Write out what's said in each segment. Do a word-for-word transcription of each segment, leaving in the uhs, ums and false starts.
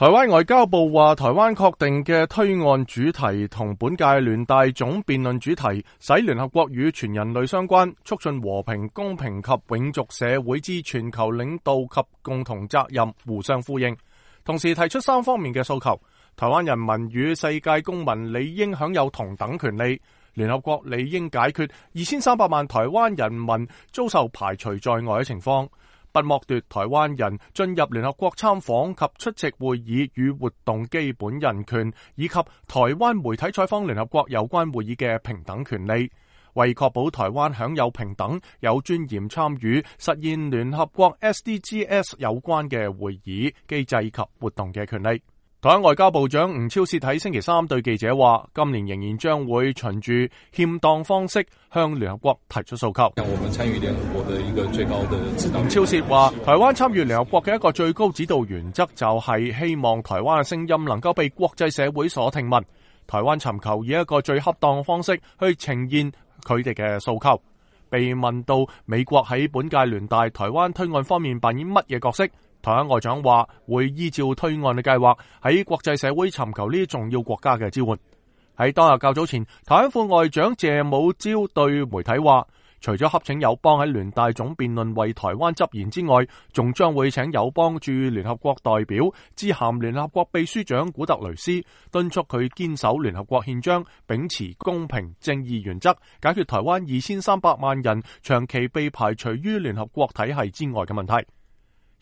台灣外交部話，台灣確定嘅推案主題同本屆聯大總辯論主題，使聯合國與全人類相關，促進和平、公平及永續社會之全球領導及共同責任互相呼應，同時提出三方面嘅訴求：台灣人民與世界公民理應享有同等權利，聯合國理應解決二千三百萬台灣人民遭受排除在外嘅情況，不剝奪台灣人進入聯合國參訪及出席會議與活動基本人權，以及台灣媒體採訪聯合國有關會議嘅平等權利，為確保台灣享有平等、有尊嚴參與實現聯合國 S D Gs 有關嘅會議、機制及活動嘅權利。台灣外交部長吳釗燮喺星期三對記者話，今年仍然將會循住欠當方式向聯合國提出訴求。我們參與聯合國的一個最高的指導。吳釗燮話，台灣參與聯合國嘅一個最高指導原則就係希望台灣嘅聲音能夠被國際社會所聽聞。台灣尋求以一個最恰當方式去呈現佢哋嘅訴求。被問到美國喺本屆聯大台灣推案方面扮演乜嘢角色？台灣外長話會依照推案嘅計劃喺國際社會尋求呢啲重要國家嘅支援。喺當日較早前，台灣副外長謝武朝對媒體話，除咗洽請友邦喺聯大總辯論為台灣執言之外，仲將會請友邦駐聯合國代表致函聯合國秘書長古特雷斯，敦促佢堅守聯合國憲章，秉持公平正義原則，解決台灣二千三百萬人長期被排除於聯合國體系之外嘅問題。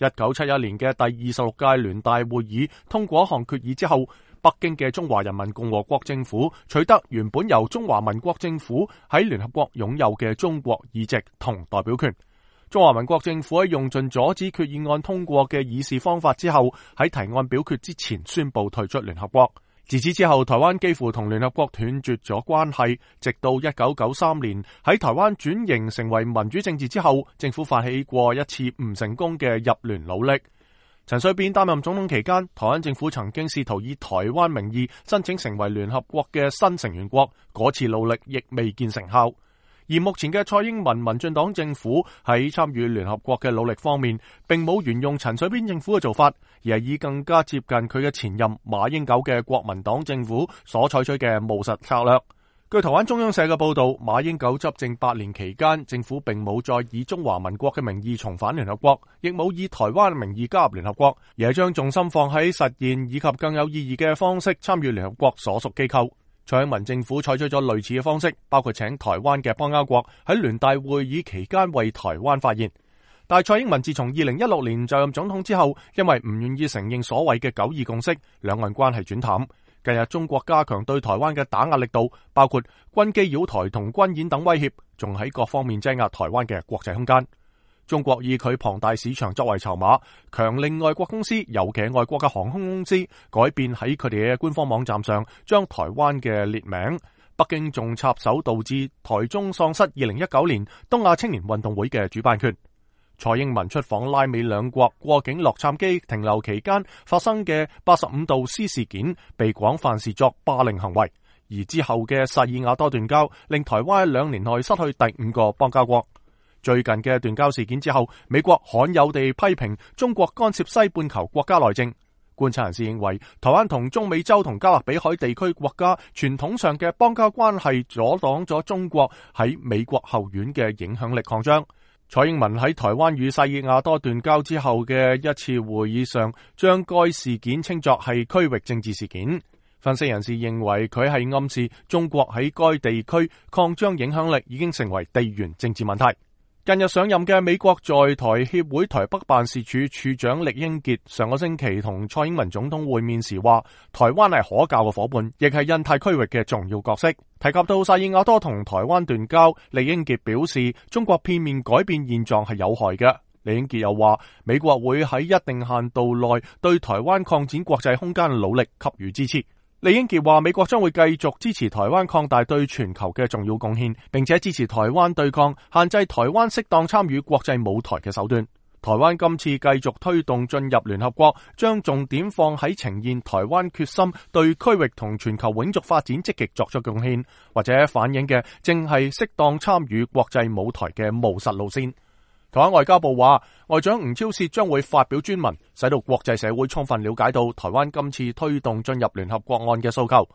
一九七一年嘅第二十六屆聯大會議通過一項決議之後，北京嘅中華人民共和國政府取得原本由中華民國政府喺聯合國擁有嘅中國議席同代表權。中華民國政府喺用盡阻止決議案通過嘅議事方法之後，喺提案表決之前宣布退出聯合國。自此之後，台灣幾乎同聯合國斷絕咗關係，直到一九九三年喺台灣轉型成為民主政治之後，政府發起過一次唔成功嘅入聯努力。陳水扁擔任總統期間，台灣政府曾經試圖以台灣名義申請成為聯合國嘅新成員國，嗰次努力亦未見成效。而目前嘅蔡英文民進黨政府喺參與聯合國嘅努力方面，並冇沿用陳水扁政府嘅做法，而係以更加接近佢嘅前任馬英九嘅國民黨政府所採取嘅務實策略。據台灣中央社嘅報道，馬英九執政八年期間，政府並冇再以中華民國嘅名義重返聯合國，亦冇以台灣嘅名義加入聯合國，而係將重心放喺實現以及更有意義嘅方式參與聯合國所屬機構。蔡英文政府採取咗類似嘅方式，包括請台灣嘅邦交國喺聯大會議期間為台灣發言。但蔡英文自從二零一六年就任總統之後，因為唔願意承認所謂嘅九二共識，兩岸關係轉淡。近日中國加強對台灣嘅打壓力度，包括軍機擾台同軍演等威脅，仲喺各方面擠壓台灣嘅國際空間。中國以佢龐大市場作為籌碼，強令外國公司，尤其係外國嘅航空公司，改變喺佢哋嘅官方網站上將台灣嘅列名。北京仲插手導致台中喪失二零一九年東亞青年運動會嘅主辦權。蔡英文出訪拉美兩國過境洛杉磯停留期間發生嘅八十五度 C 事件，被廣泛視作霸凌行為。而之後嘅薩爾瓦多斷交，令台灣喺兩年內失去第五個邦交國。最近嘅斷交事件之後，美國罕有地批評中國干涉西半球國家內政。觀察人士認為，台灣同中美洲同加勒比海地區國家傳統上嘅邦交關係，阻擋咗中國喺美國後院嘅影響力擴張。蔡英文喺台灣與薩爾瓦多斷交之後嘅一次會議上，將該事件稱作係區域政治事件。分析人士認為，佢係暗示中國喺該地區擴張影響力已經成為地緣政治問題。近日上任嘅美國在台協會台北辦事處處長酈英傑上個星期同蔡英文總統會面時話，台灣係可靠嘅夥伴，亦係印太區域嘅重要角色。提及到薩爾瓦多同台灣斷交，酈英傑表示中國片面改變現狀係有害嘅。酈英傑又話，美國會喺一定限度內對台灣擴展國際空間嘅努力給予支持。酈英傑話，美國將會繼續支持台灣擴大對全球嘅重要貢獻，並且支持台灣對抗限制台灣適當參與國際舞台嘅手段。台灣今次繼續推動進入聯合國，將重點放喺呈現台灣決心對區域同全球永續發展積極作出貢獻，或者反映嘅正係適當參與國際舞台嘅務實路線。台灣外交部話，外長吳釗燮將會發表專文，使到國際社會充分了解到台灣今次推動進入聯合國案嘅訴求。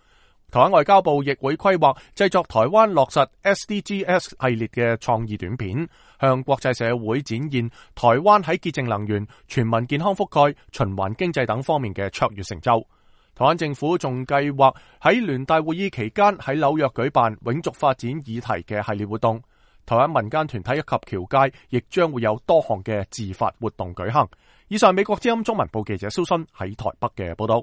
台灣外交部亦會規劃製作台灣落實 S D Gs 系列嘅創意短片，向國際社會展現台灣喺潔淨能源、全民健康覆蓋、循環經濟等方面嘅卓越成就。台灣政府仲計劃喺聯大會議期間喺紐約舉辦永續發展議題嘅系列活動。台灣民間團體以及僑界亦將會有多項嘅自發活動舉行。以上係美國之音中文部記者蕭勳喺台北嘅報道。